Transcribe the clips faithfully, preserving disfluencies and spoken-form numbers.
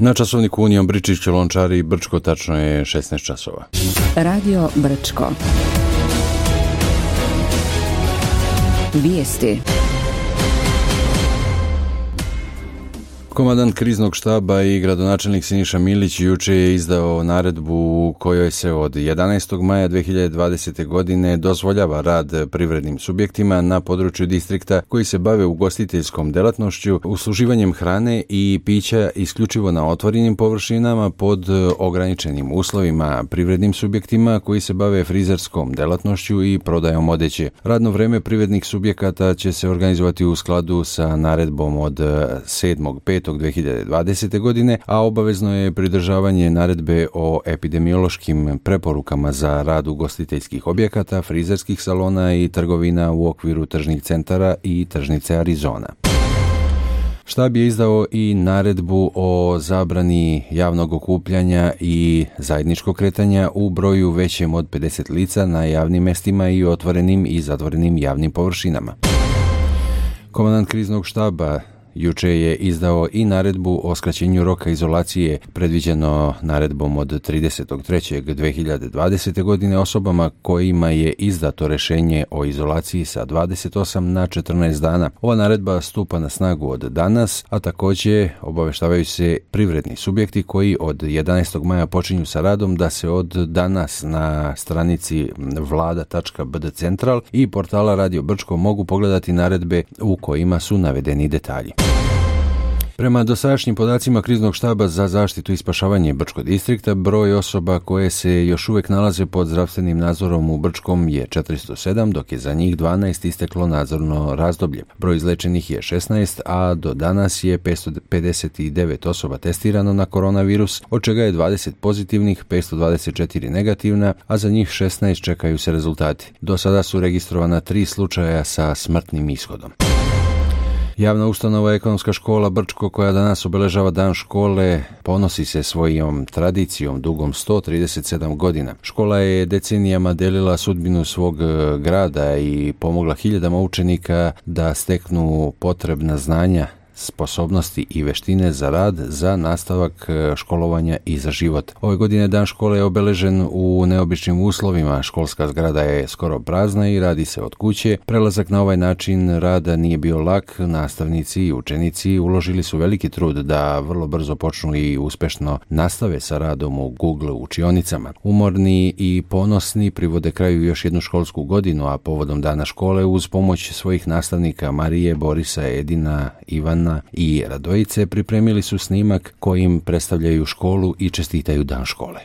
Na časovniku Union Bričić, Lončari i Brčko tačno je šesnaest časova. Radio Brčko. Vijesti. Komandant kriznog štaba i gradonačelnik Siniša Milić juče je izdao naredbu u kojoj se od jedanaestog maja dve hiljade dvadesete. godine dozvoljava rad privrednim subjektima na području distrikta koji se bave ugostiteljskom delatnošću, usluživanjem hrane i pića isključivo na otvorenim površinama pod ograničenim uslovima, privrednim subjektima koji se bave frizerskom delatnošću i prodajom odeće. Radno vreme privrednih subjekata će se organizovati u skladu sa naredbom od sedmog petog dve hiljade dvadesete. godine, a obavezno je pridržavanje naredbe o epidemiološkim preporukama za rad ugostiteljskih objekata, frizerskih salona i trgovina u okviru tržnih centara i tržnice Arizona. Štab je izdao i naredbu o zabrani javnog okupljanja i zajedničkog kretanja u broju većem od pedeset lica na javnim mestima i otvorenim i zatvorenim javnim površinama. Komandant kriznog štaba juče je izdao i naredbu o skraćenju roka izolacije predviđeno naredbom od tridesetog trećeg dve hiljade dvadesete. godine osobama kojima je izdato rešenje o izolaciji sa dvadeset osam na četrnaest dana. Ova naredba stupa na snagu od danas, a također obaveštavaju se privredni subjekti koji od jedanaestog maja počinju sa radom da se od danas na stranici vlada tačka b d central i portala Radio Brčko mogu pogledati naredbe u kojima su navedeni detalji. Prema dosadašnjim podacima kriznog štaba za zaštitu i spašavanje Brčkog distrikta, broj osoba koje se još uvijek nalaze pod zdravstvenim nadzorom u Brčkom je četiristo sedam, dok je za njih dvanaest isteklo nadzorno razdoblje. Broj izlečenih je šesnaest, a do danas je petsto pedeset devet osoba testirano na koronavirus, od čega je dvadeset pozitivnih, petsto dvadeset četiri negativna, a za njih šesnaest čekaju se rezultati. Do sada su registrovana tri slučaja sa smrtnim ishodom. Javna ustanova Ekonomska škola Brčko, koja danas obeležava dan škole, ponosi se svojom tradicijom dugom sto trideset sedam godina. Škola je decenijama delila sudbinu svog grada i pomogla hiljadama učenika da steknu potrebna znanja, sposobnosti i veštine za rad, za nastavak školovanja i za život. Ove godine dan škole je obeležen u neobičnim uslovima. Školska zgrada je skoro prazna i radi se od kuće. Prelazak na ovaj način rada nije bio lak. Nastavnici i učenici uložili su veliki trud da vrlo brzo počnu i uspešno nastave sa radom u Google učionicama. Umorni i ponosni privode kraju još jednu školsku godinu, a povodom dana škole uz pomoć svojih nastavnika Marije, Borisa, Edina, Ivana i Radojice pripremili su snimak kojim predstavljaju školu i čestitaju dan škole.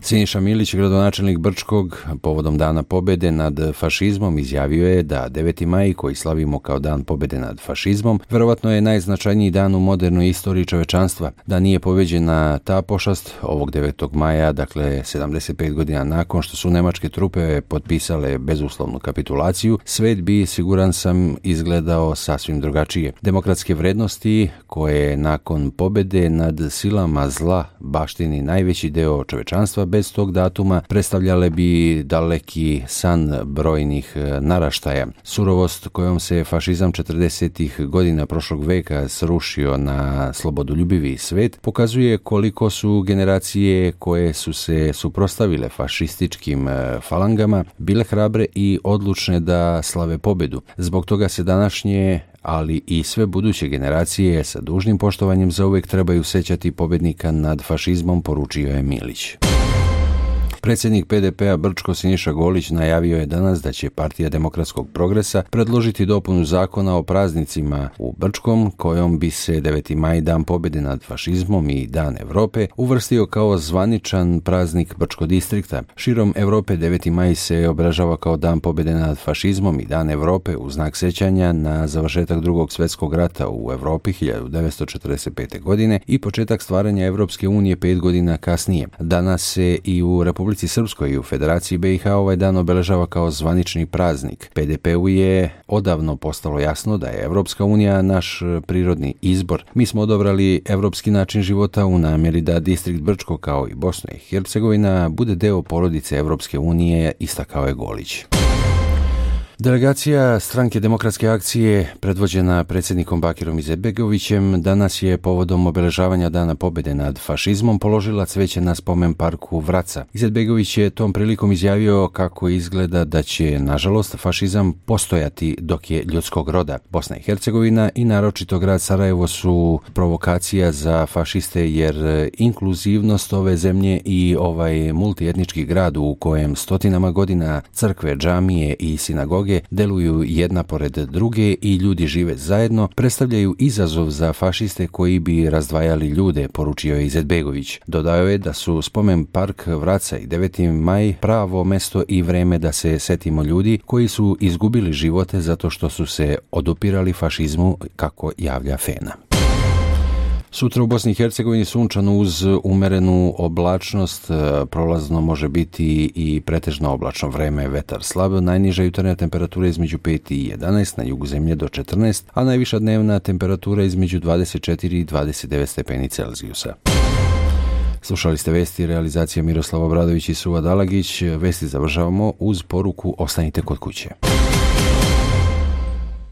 Siniša Milić, gradonačelnik Brčkog, povodom Dana pobede nad fašizmom izjavio je da deveti maj, koji slavimo kao dan pobede nad fašizmom, verovatno je najznačajniji dan u modernoj istoriji čovečanstva. Da nije pobeđena ta pošast ovog devetog maja, dakle sedamdeset pet godina nakon što su nemačke trupe potpisale bezuslovnu kapitulaciju, svet bi, siguran sam, izgledao sasvim drugačije. Demokratske vrednosti koje nakon pobede nad silama zla baštini najveći deo čovečanstva, bez tog datuma predstavljale bi daleki san brojnih naraštaja. Surovost kojom se fašizam četrdesetih godina prošlog veka srušio na slobodoljubivi svet pokazuje koliko su generacije koje su se suprotstavile fašističkim falangama bile hrabre i odlučne da slave pobedu. Zbog toga se današnje, ali i sve buduće generacije sa dužnim poštovanjem zauvek trebaju sećati pobednika nad fašizmom, poručio je Milić. Predsjednik P D P-a Brčko Siniša Golić najavio je danas da će Partija demokratskog progresa predložiti dopunu zakona o praznicima u Brčkom, kojom bi se deveti maj, dan pobjede nad fašizmom i dan Evrope, uvrstio kao zvaničan praznik Brčkog distrikta. Širom Evrope deveti maj se obeležava kao dan pobjede nad fašizmom i dan Evrope u znak sećanja na završetak drugog svjetskog rata u Evropi hiljadu devetsto četrdeset pete. godine i početak stvaranja Evropske unije pet godina kasnije. Danas se i u Republici Srpskoj i u Federaciji B i H ovaj dan obeležava kao zvanični praznik. P D P-u je odavno postalo jasno da je Evropska unija naš prirodni izbor. Mi smo odabrali evropski način života u namjeri da distrikt Brčko kao i Bosna i Hercegovina bude deo porodice Evropske unije, istakao je Golić. Delegacija Stranke demokratske akcije, predvođena predsjednikom Bakirom Izetbegovićem, danas je povodom obeležavanja Dana pobjede nad fašizmom položila cveće na spomen parku Vraca. Izetbegović je tom prilikom izjavio kako izgleda da će, nažalost, fašizam postojati dok je ljudskog roda. Bosna i Hercegovina i naročito grad Sarajevo su provokacija za fašiste, jer inkluzivnost ove zemlje i ovaj multietnički grad u kojem stotinama godina crkve, džamije i sinagoge deluju jedna pored druge i ljudi žive zajedno, predstavljaju izazov za fašiste koji bi razdvajali ljude, poručio je Izetbegović. Dodao je da su spomen park Vraca i deveti maj pravo mesto i vreme da se setimo ljudi koji su izgubili živote zato što su se odupirali fašizmu, kako javlja Fena. Sutra u Bosni i Hercegovini sunčano uz umerenu oblačnost, prolazno može biti i pretežno oblačno vreme, vetar slab, najniža jutarnja temperatura između pet i jedanaest, na jugu zemlje do četrnaest, a najviša dnevna temperatura između dvadeset četiri i dvadeset devet stepeni Celzijusa. Slušali ste vesti, realizacija Miroslava Obradović i Suva Dalagić. Vesti završavamo uz poruku ostanite kod kuće.